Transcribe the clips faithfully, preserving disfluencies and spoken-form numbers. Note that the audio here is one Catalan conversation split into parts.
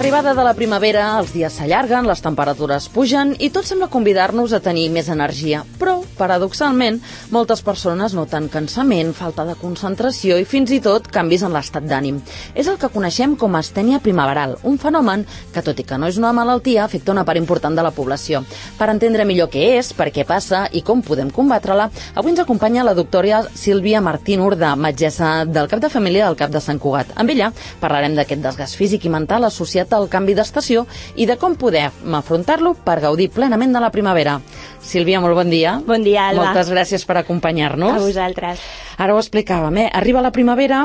l'arribada de la primavera, els dies s'allarguen, les temperatures pugen i tot sembla convidar-nos a tenir més energia. Però, paradoxalment, moltes persones noten cansament, falta de concentració i fins i tot canvis en l'estat d'ànim. És el que coneixem com a astènia primaveral, un fenomen que, tot i que no és una malaltia, afecta una part important de la població. Per entendre millor què és, per què passa i com podem combatre-la, avui ens acompanya la doctora Sílvia Martín Urdà, metgessa del cap de família del Cap de Sant Cugat. Amb ella parlarem d'aquest desgast físic i mental associat al canvi d'estació i de com podem afrontar-lo per gaudir plenament de la primavera. Sílvia, molt bon dia. Bon dia, Alba. Moltes gràcies per acompanyar-nos. A vosaltres. Ara ho explicàvem, eh? Arriba la primavera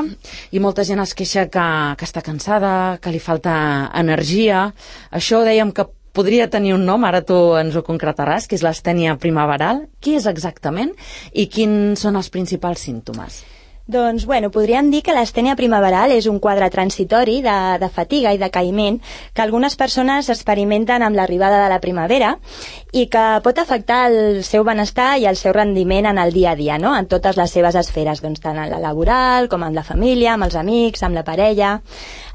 i molta gent es queixa que, que està cansada, que li falta energia. Això dèiem que podria tenir un nom, ara tu ens ho concretaràs, que és l'astènia primaveral. Què és exactament i quins són els principals símptomes? Doncs, bueno, podríem dir que l'astènia primaveral és un quadre transitori de, de fatiga i decaïment que algunes persones experimenten amb l'arribada de la primavera i que pot afectar el seu benestar i el seu rendiment en el dia a dia, no? En totes les seves esferes, doncs, tant en la laboral com en la família, amb els amics, amb la parella.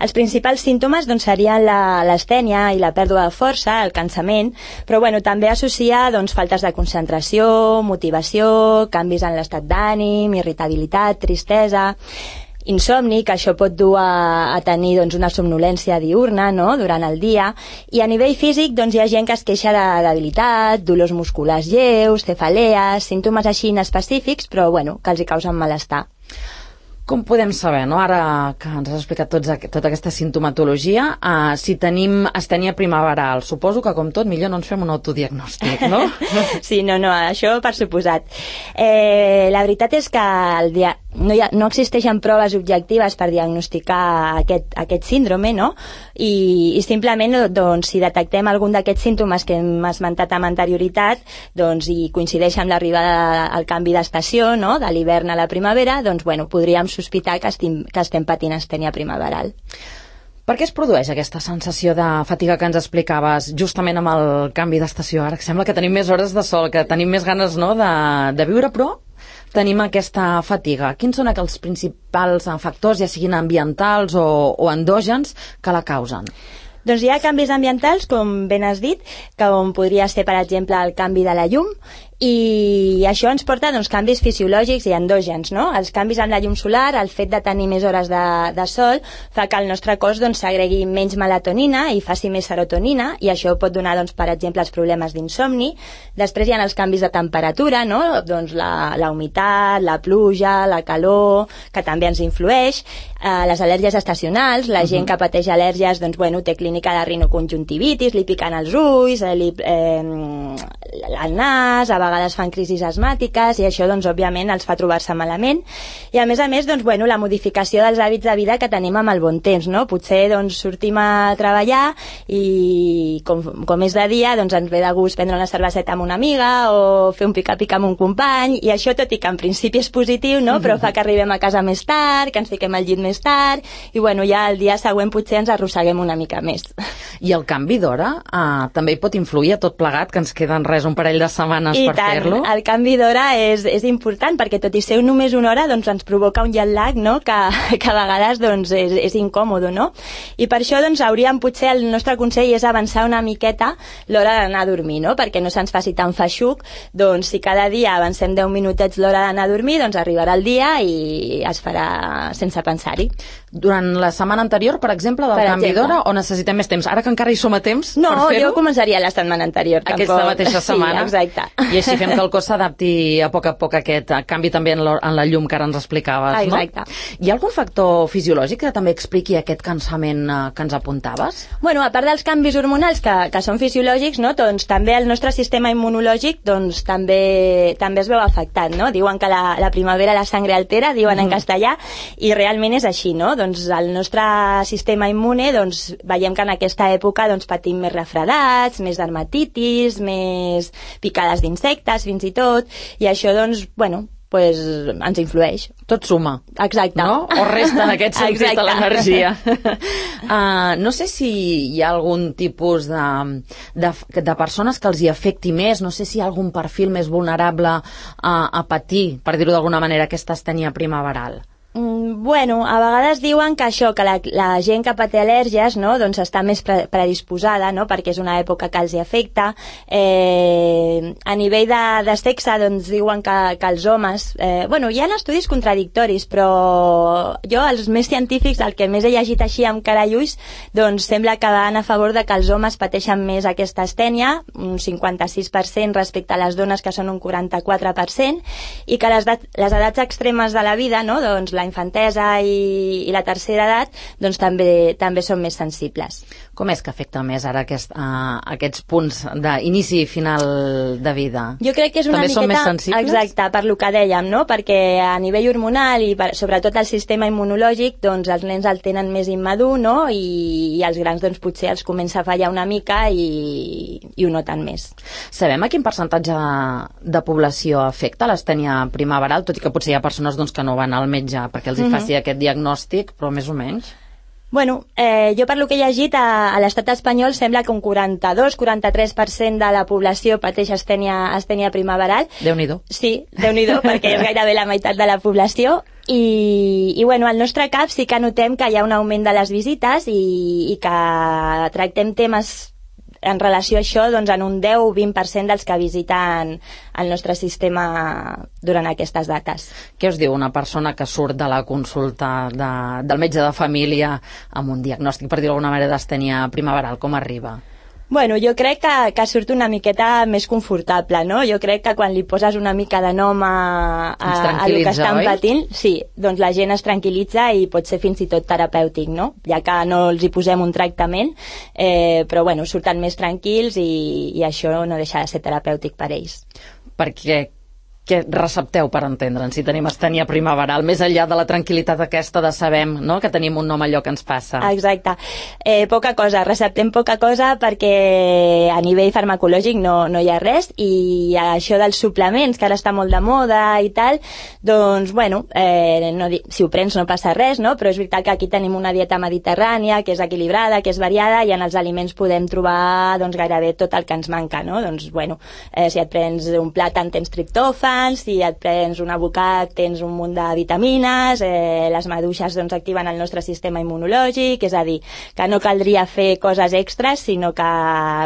Els principals símptomes doncs, serien l'astènia i la pèrdua de força, el cansament, però bueno, també associa doncs, faltes de concentració, motivació, canvis en l'estat d'ànim, irritabilitat, tristesa, insomni, que això pot dur a, a tenir doncs, una somnolència diurna, no?, durant el dia, i a nivell físic doncs, hi ha gent que es queixa de debilitat, dolors musculars lleus, cefalees, símptomes així inespecífics, però bueno, que els hi causen malestar. Com podem saber, no? Ara que ens has explicat tots, tota aquesta sintomatologia, uh, si tenim astènia primaveral? Suposo que, com tot, millor no ens fem un autodiagnòstic, no? Sí, no, no, això per suposat. Eh, la veritat és que el dia... no, hi ha, no existeixen proves objectives per diagnosticar aquest, aquest síndrome, no? I, i simplement, doncs, si detectem algun d'aquests símptomes que hem esmentat amb anterioritat, doncs, i coincideix amb l'arribada al canvi d'estació, no?, de l'hivern a la primavera, doncs, bueno, podríem sospitar que estem, que estem patint astènia primaveral. Per què es produeix aquesta sensació de fatiga que ens explicaves justament amb el canvi d'estació? Ara que sembla que tenim més hores de sol, que tenim més ganes, no?, de, de viure, però tenim aquesta fatiga. Quins són els principals factors, ja siguin ambientals o, o endògens, que la causen? Doncs hi ha canvis ambientals, com ben has dit, com podria ser, per exemple, el canvi de la llum, i això ens porta doncs, canvis fisiològics i endògens, no? Els canvis en la llum solar, el fet de tenir més hores de, de sol, fa que el nostre cos doncs, segregui menys melatonina i faci més serotonina, i això pot donar, doncs, per exemple, els problemes d'insomni. Després hi ha els canvis de temperatura, no? Doncs la, la humitat, la pluja, la calor, que també ens influeix, eh, les al·lèrgies estacionals, la gent que pateix al·lèrgies, doncs, bueno, té clínica de rinoconjuntivitis, li piquen els ulls, eh, li, eh, el nas, a vegades fan crisis asmàtiques, i això, doncs, òbviament, els fa trobar-se malament. I, a més a més, doncs, bueno, la modificació dels hàbits de vida que tenim amb el bon temps, no? Potser, doncs, sortim a treballar i, com, com és de dia, doncs, ens ve de gust prendre una cerveseta amb una amiga o fer un pica-pica amb un company, i això, tot i que en principi és positiu, no?, però fa que arribem a casa més tard, que ens fiquem al llit més tard, i, bueno, ja el dia següent potser ens arrosseguem una mica més. I el canvi d'hora eh, també hi pot influir a tot plegat, que ens queden res, un parell de setmanes I per fer-lo? El canvi d'hora és, és important, perquè tot i ser només una hora, doncs ens provoca un jet lag, no?, que, que a vegades doncs, és, és incòmodo, no? I per això doncs, hauríem, potser, el nostre consell és avançar una miqueta l'hora d'anar a dormir, no?, perquè no se'ns faci tan feixuc. Doncs si cada dia avancem deu minutets l'hora d'anar a dormir, doncs arribarà el dia i es farà sense pensar-hi. Durant la setmana anterior, per exemple, del per canvi d'hora, o necessitem més temps? Ara que encara hi som a temps no, per fer-ho? No, jo començaria la setmana anterior. Aquesta tampoc. mateixa setmana? Sí, exacte. I així fem que el cos s'adapti a poc a poc a aquest canvi també en la, en la llum que ara ens explicaves, no? Exacte. Hi ha algun factor fisiològic que també expliqui aquest cansament eh, que ens apuntaves? Bueno, a part dels canvis hormonals que, que són fisiològics, no? Doncs també el nostre sistema immunològic doncs, també, també es veu afectat, no? Diuen que la, la primavera la sangre altera, diuen mm. en castellà, i realment és així, no? Doncs el nostre sistema immune, doncs veiem que en aquesta època doncs, patim més refredats, més dermatitis, més picades d'insectes, fins i tot, i això, doncs, bueno, pues, ens influeix. Tot suma. Exacte. No? O resta en aquest sentit de l'energia. uh, no sé si hi ha algun tipus de, de, de persones que els hi afecti més, no sé si hi ha algun perfil més vulnerable a, a patir, per dir-ho d'alguna manera, aquesta astènia primaveral. Mm, Bueno, a vegades diuen que això, que la, la gent que paté al·lèrgies, no?, doncs està més pre predisposada, no?, perquè és una època que els hi afecta. Eh, a nivell de, de sexe, doncs diuen que, que els homes... Eh, bueno, hi ha estudis contradictoris, però jo, els més científics, el que més he llegit així amb cara i ulls, doncs sembla que van a favor de que els homes pateixen més aquesta astènia, un cinquanta-sis per cent respecte a les dones, que són un quaranta-quatre per cent, i que les, les edats extremes de la vida, no?, doncs la infantesa i, i la tercera edat, doncs també, també són més sensibles. Com és que afecta més ara aquest, uh, aquests punts d'inici i final de vida? Jo crec que és una també miqueta... són més sensibles? Exacte, per lo que dèiem, no?, perquè a nivell hormonal i per, sobretot el sistema immunològic, doncs els nens el tenen més immadur, no?, i, i els grans doncs potser els comença a fallar una mica i, i ho noten més. Sabem a quin percentatge de població afecta l'astènia primaveral, tot i que potser hi ha persones doncs, que no van al metge perquè els hi faci uh-huh. aquest diagnòstic, però més o menys? Bueno, eh, jo per lo que he llegit, a, a l'estat espanyol sembla que un quaranta-dos a quaranta-tres per cent de la població pateix astènia, astènia primaveral. Déu-n'hi-do. Sí, Déu-n'hi-do, perquè és gairebé la meitat de la població. I, i bueno, al nostre cap sí que notem que hi ha un augment de les visites i, i que tractem temes en relació a això, doncs en un deu o vint per cent dels que visiten el nostre sistema durant aquestes dates. Què us diu una persona que surt de la consulta de, del metge de família amb un diagnòstic, per dir-ho d'alguna manera, d'astènia primaveral? Com arriba? Bueno, jo crec que, que surt una miqueta més confortable, no? Jo crec que quan li poses una mica de nom a, a, a el que estan patint, sí, doncs la gent es tranquil·litza i pot ser fins i tot terapèutic, no? Ja que no els hi posem un tractament, eh, però bueno, surten més tranquils i, i això no deixa de ser terapèutic per ells. Perquè què recepteu per entendre'n si tenim astènia primaveral, més enllà de la tranquil·litat aquesta de sabem, no?, que tenim un nom allò que ens passa? Exacte. Eh, poca cosa, receptem poca cosa perquè a nivell farmacològic no, no hi ha res, i això dels suplements, que ara està molt de moda i tal, doncs, bueno, eh, no, si ho prens no passa res, no?, però és veritat que aquí tenim una dieta mediterrània, que és equilibrada, que és variada, i en els aliments podem trobar doncs, gairebé tot el que ens manca, no? Doncs, bueno, eh, si et prens un plàtan tens triptòfan, si et prens un abocat tens un munt de vitamines, eh, les maduixes doncs, activen el nostre sistema immunològic, és a dir, que no caldria fer coses extres, sinó que,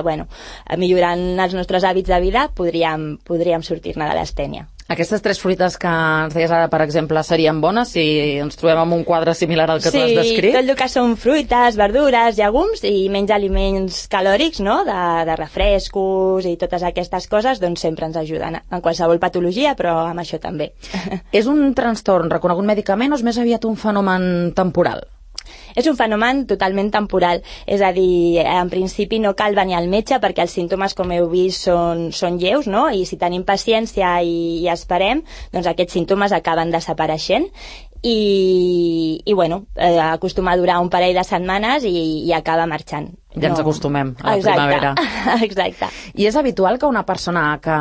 bueno, millorant els nostres hàbits de vida podríem, podríem sortir-ne de l'astènia. Aquestes tres fruites que ens deies ara, per exemple, serien bones si ens trobem amb un quadre similar al que sí, tu has descrit? Sí, tot el que són fruites, verdures, llegums i menys aliments calòrics, no?, de, de refrescos i totes aquestes coses, doncs sempre ens ajuden en qualsevol patologia, però amb això també. És un trastorn reconegut mèdicament o és més aviat un fenomen temporal? És un fenomen totalment temporal, és a dir, en principi no cal venir al metge perquè els símptomes, com heu vist, són, són lleus, no?, i si tenim paciència i, i esperem, doncs aquests símptomes acaben desapareixent i, i bueno, eh, acostuma a durar un parell de setmanes i, i acaba marxant. Ja ens no. acostumem a la Exacte. primavera. Exacte. I és habitual que una persona que,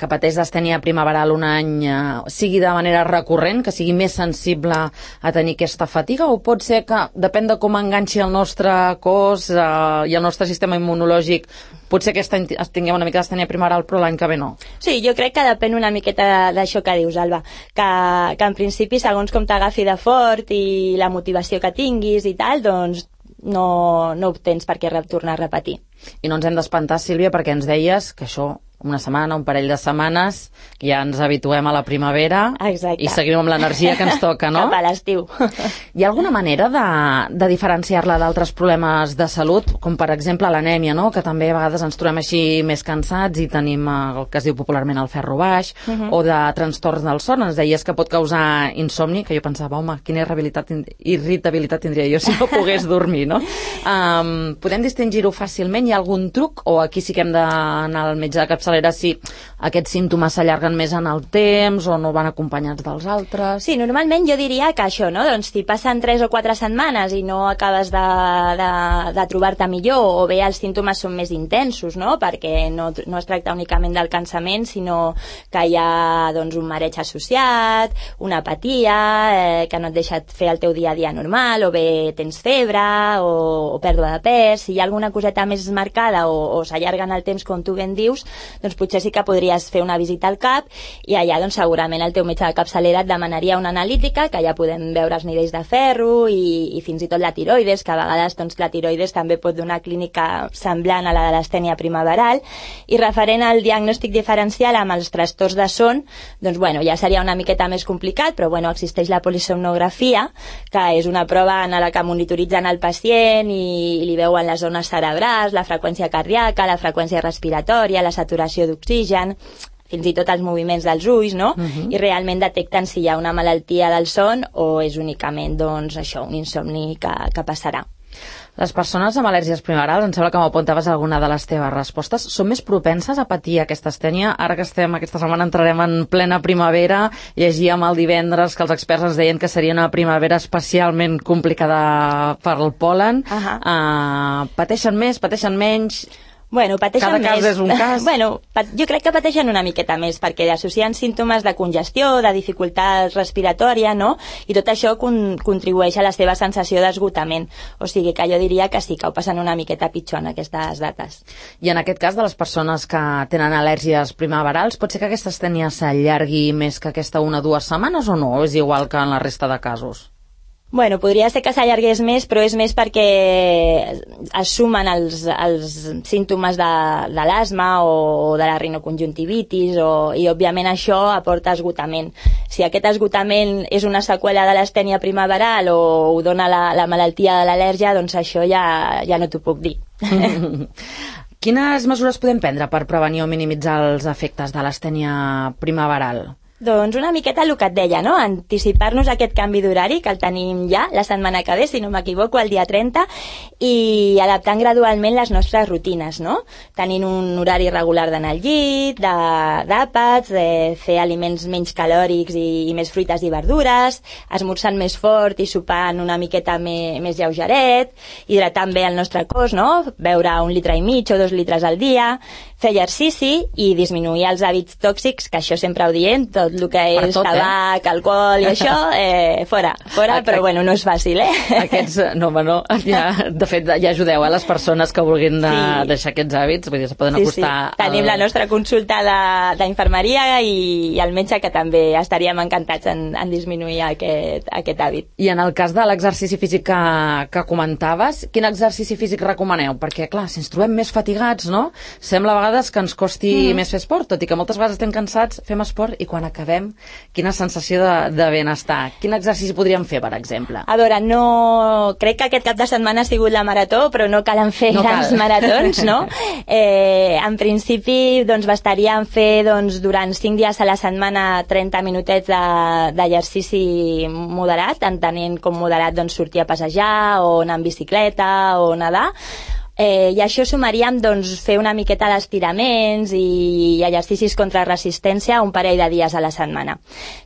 que pateix d'astènia primaveral un any eh, sigui de manera recurrent, que sigui més sensible a tenir aquesta fatiga, o pot ser que, depèn de com enganxi el nostre cos eh, i el nostre sistema immunològic, potser aquest any tinguem una mica d'astènia primaveral, però l'any que ve no? Sí, jo crec que depèn una miqueta d'això que dius, Alba, que, que en principi, segons com t'agafi de fort i la motivació que tinguis i tal, doncs no, no ho tens per què tornar a repetir. I no ens hem d'espantar, Sílvia, perquè ens deies que això, una setmana, un parell de setmanes, ja ens habituem a la primavera. Exacte. I seguim amb l'energia que ens toca, no? Cap a l'estiu. Hi ha alguna manera de, de diferenciar-la d'altres problemes de salut, com per exemple l'anèmia, no?, que també a vegades ens trobem així més cansats i tenim el que es diu popularment el ferro baix, uh -huh. o de trastorns del son. Ens deies que pot causar insomni, que jo pensava, home, quina irritabilitat tindria jo si no pogués dormir, no? Um, podem distingir-ho fàcilment? Hi ha algun truc? O aquí sí que hem d'anar al metge de capçalera si aquests símptomes s'allarguen més en el temps o no van acompanyats dels altres? Sí, normalment jo diria que això, no? Doncs si passen tres o quatre setmanes i no acabes de, de, de trobar-te millor, o bé els símptomes són més intensos, no?, perquè no, no es tracta únicament del cansament, sinó que hi ha doncs, un mareig associat, una apatia, eh, que no et deixa fer el teu dia a dia normal, o bé tens febre o, o pèrdua de pes. Si hi ha alguna coseta més marcada o, o s'allarga en el temps, com tu ben dius, doncs potser sí que podries fer una visita al cap i allà doncs segurament el teu metge de capçalera et demanaria una analítica, que ja podem veure els nivells de ferro i, i fins i tot la tiroides, que a vegades doncs, la tiroides també pot donar clínica semblant a la de l'astènia primaveral. I referent al diagnòstic diferencial amb els trastorns de son, doncs bueno, ja seria una miqueta més complicat, però bueno, existeix la polisomnografia, que és una prova en la que monitoritzen el pacient i, i li veuen les zones cerebrals, la freqüència cardíaca, la freqüència respiratòria, la saturació d'oxigen, fins i tot els moviments dels ulls, no? Uh-huh. I realment detecten si hi ha una malaltia del son o és únicament, doncs, això, un insomni que, que passarà. Les persones amb al·lèrgies primaverals, em sembla que m'apuntaves alguna de les teves respostes, són més propenses a patir aquesta astènia? Ara que estem, aquesta setmana entrarem en plena primavera, llegíem el divendres que els experts ens deien que seria una primavera especialment complicada per el pol·len. Uh-huh. Uh, pateixen més, pateixen menys? Bueno, pateixen Cada més. cas és un cas. Bueno, jo crec que pateixen una miqueta més, perquè associen símptomes de congestió, de dificultat respiratòria, no? I tot això con contribueix a la seva sensació d'esgotament. O sigui que jo diria que sí, que ho passen una miqueta pitjor en aquestes dates. I en aquest cas de les persones que tenen al·lèrgies primaverals, pot ser que aquesta astènia s'allargui més que aquesta una o dues setmanes o no? És igual que en la resta de casos? Bueno, podria ser que s'allargués més, però és més perquè es sumen els, els símptomes de, de l'asma o de la rinoconjuntivitis o, i òbviament això aporta esgotament. Si aquest esgotament és una seqüela de l'astènia primaveral o ho dona la, la malaltia de l'al·lèrgia, doncs això ja, ja no t'ho puc dir. Quines mesures podem prendre per prevenir o minimitzar els efectes de l'astènia primaveral? Doncs una miqueta el que et deia, no? Anticipar-nos aquest canvi d'horari, que el tenim ja la setmana que ve, si no m'equivoco, el dia trenta, i adaptant gradualment les nostres rutines, no? Tenint un horari regular d'anar al llit, d'àpats, de, de fer aliments menys calòrics i, i més fruites i verdures, esmorzant més fort i sopant una miqueta me, més lleugeret, hidratant bé el nostre cos, no? Beure un litre i mig o dos litres al dia, fer exercici i disminuir els hàbits tòxics, que això sempre ho diem, tot el que és tot, tabac, eh? Alcohol i això, eh, fora, fora, però bueno, no és fàcil, eh? Aquests, no, home, no, ja, de fet, ja ajudeu a les persones que vulguin de, sí. deixar aquests hàbits, vull dir, se poden sí, acostar... Sí. Tenim al... la nostra consulta d'infermeria i, i el metge, que també estaríem encantats en, en disminuir aquest, aquest hàbit. I en el cas de l'exercici físic que, que comentaves, quin exercici físic recomaneu? Perquè, clar, si ens trobem més fatigats, no? Sembla a vegades que ens costi mm. més fer esport, tot i que moltes vegades estem cansats, fem esport i quan acabem, quina sensació de, de benestar. Quin exercici podríem fer, per exemple? A veure, no... crec que aquest cap de setmana ha sigut la marató, però no calen fer no grans cal. maratons, no? Eh, en principi, doncs, bastaríem fer doncs, durant cinc dies a la setmana trenta minutets d'exercici de, moderat, entenent com moderat doncs, sortir a passejar o anar en bicicleta o nedar. Eh, I això sumaríem doncs, fer una miqueta d'estiraments i exercicis contra resistència un parell de dies a la setmana.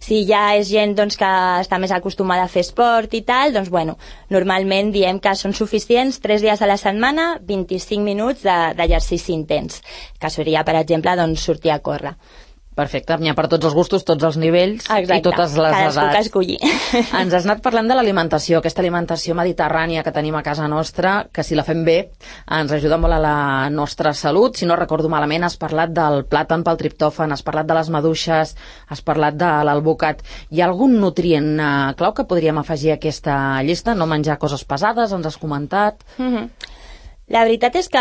Si ja és gent doncs, que està més acostumada a fer esport i tal, doncs bueno, normalment diem que són suficients tres dies a la setmana, vint-i-cinc minuts d'exercici intens, que seria, per exemple, doncs, sortir a córrer. Perfecte, n'hi ha per tots els gustos, tots els nivells. Exacte. I totes les edats. Cadascú que escolli. Ens has anat parlant de l'alimentació, aquesta alimentació mediterrània que tenim a casa nostra, que si la fem bé ens ajuda molt a la nostra salut. Si no recordo malament, has parlat del plàtan pel triptòfan, has parlat de les maduixes, has parlat de l'alvocat. Hi ha algun nutrient eh, clau que podríem afegir a aquesta llista? No menjar coses pesades, ens has comentat. Mm-hmm. La veritat és que,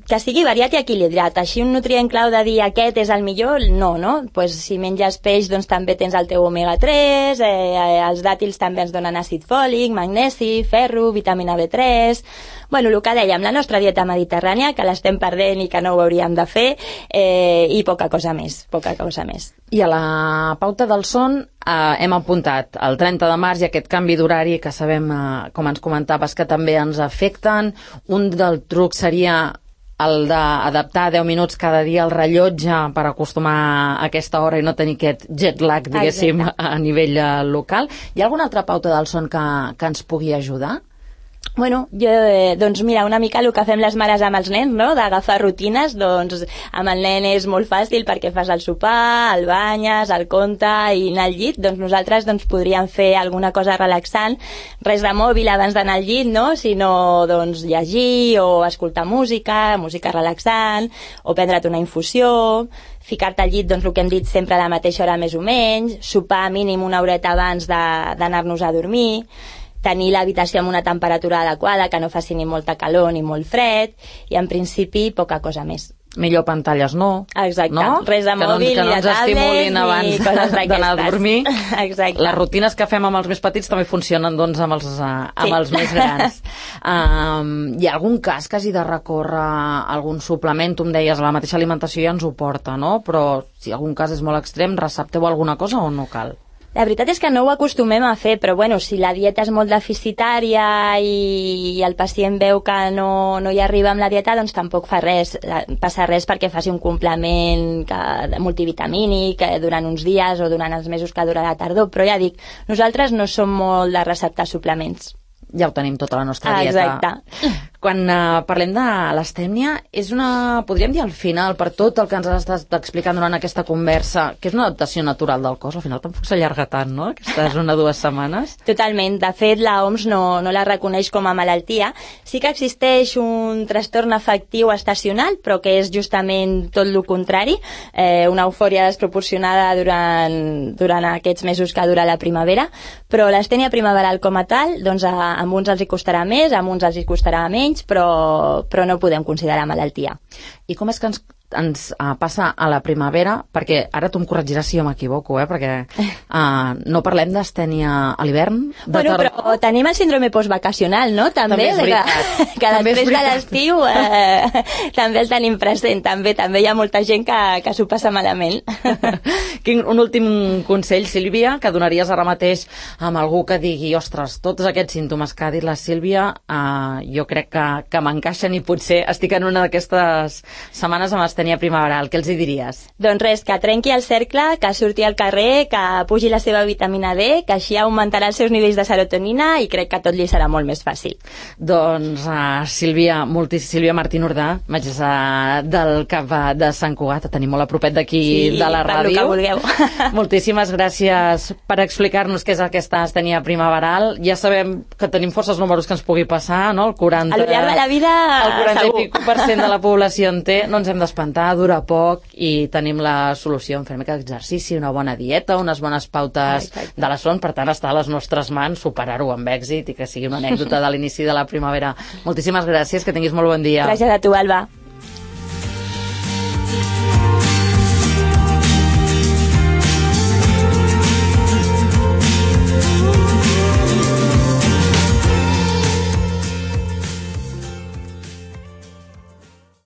que sigui variat i equilibrat. Així un nutrient clau de dir aquest és el millor, no, no? Pues si menges peix, doncs també tens el teu omega tres, eh, els dàtils també ens donen àcid fòlic, magnesi, ferro, vitamina B tres... Bueno, el que dèiem, la nostra dieta mediterrània, que l'estem perdent i que no ho hauríem de fer, eh, i poca cosa més, poca cosa més. I a la pauta del son eh, hem apuntat el trenta de març i aquest canvi d'horari que sabem, eh, com ens comentaves, que també ens afecten. Un del truc seria el d'adaptar deu minuts cada dia al rellotge per acostumar a aquesta hora i no tenir aquest jet lag, diguéssim, exacte, a nivell local. Hi ha alguna altra pauta del son que, que ens pugui ajudar? Bueno, jo, eh, doncs mira, una mica el que fem les mares amb els nens, no?, d'agafar rutines, doncs amb el nen és molt fàcil perquè fas el sopar, el banyes, el conte i anar al llit, doncs nosaltres doncs, podríem fer alguna cosa relaxant, res de mòbil abans d'anar al llit, no?, sinó doncs llegir o escoltar música, música relaxant, o prendre't una infusió, ficar-te al llit, doncs el que hem dit sempre a la mateixa hora més o menys, sopar mínim una horeta abans d'anar-nos a dormir, tenir l'habitació amb una temperatura adequada, que no faci ni molta calor ni molt fred, i en principi poca cosa més. Millor pantalles no. Exacte, no? res de mòbil, no, ni de tablet, ni coses d'aquestes. D'anar a dormir. Exacte. Les rutines que fem amb els més petits també funcionen doncs, amb, els, uh, amb sí. els més grans. um, hi ha algun cas que hagi de recórrer algun suplement? Tu em deies, la mateixa alimentació ja ens ho porta, no? Però si algun cas és molt extrem, recepteu alguna cosa o no cal? La veritat és que no ho acostumem a fer, però bueno, si la dieta és molt deficitària i el pacient veu que no, no hi arriba amb la dieta, doncs tampoc fa res, passa res perquè faci un complement que, multivitamínic durant uns dies o durant els mesos que dura la tardor, però ja dic, nosaltres no som molt de receptar suplements. Ja ho tenim tota la nostra dieta. Exacte. Quan uh, parlem de l'astènia, és una, podríem dir al final, per tot el que ens has estat explicant durant aquesta conversa, que és una adaptació natural del cos, al final tampoc s'allarga tant, no?, aquestes una o dues setmanes. Totalment. De fet, la O M S no, no la reconeix com a malaltia. Sí que existeix un trastorn afectiu estacional, però que és justament tot el contrari, eh, una eufòria desproporcionada durant, durant aquests mesos que dura la primavera, però l'astènia primaveral com a tal, doncs a, a uns els hi costarà més, a uns els hi costarà menys, però, però no podem considerar malaltia. I com és que ens, ens uh, passa a la primavera? Perquè ara tu em corregiràs si jo m'equivoco, eh? Perquè uh, no parlem d'astènia a l'hivern, de bueno, tardor. Però tenim el síndrome postvacacional, no? També, també és veritat. Que, que també després de l'estiu eh, també el tenim present. També també hi ha molta gent que, que s'ho passa malament. Quin, un últim consell, Sílvia, que donaries ara mateix amb algú que digui, ostres, tots aquests símptomes que ha dit la Sílvia, uh, jo crec que, que m'encaixen i potser estic en una d'aquestes setmanes amb astènia primaveral. Què els hi diries? Doncs res, que trenqui el cercle, que surti al carrer, que pugi la seva vitamina D, que així augmentarà els seus nivells de serotonina i crec que tot li serà molt més fàcil. Doncs uh, Sílvia, moltis, Sílvia Martín Urdà, metgessa del C A P de Sant Cugat, tenim molt a propet d'aquí sí, de la ràdio. Sí, per lo que vulgueu. Moltíssimes gràcies per explicar-nos què és aquesta astènia primaveral. Ja sabem que tenim forces números que ens pugui passar, no? El quaranta... A lo llarg de la vida, el quaranta segur. i pico per cent de la població en té, no ens hem d'espantar, dura poc i tenim la solució en fer una mica d'exercici, una bona dieta, unes bones pautes ah, de la son, per tant està a les nostres mans superar-ho amb èxit i que sigui una anècdota de l'inici de la primavera. Moltíssimes gràcies, que tinguis molt bon dia. Gràcies a tu, Alba.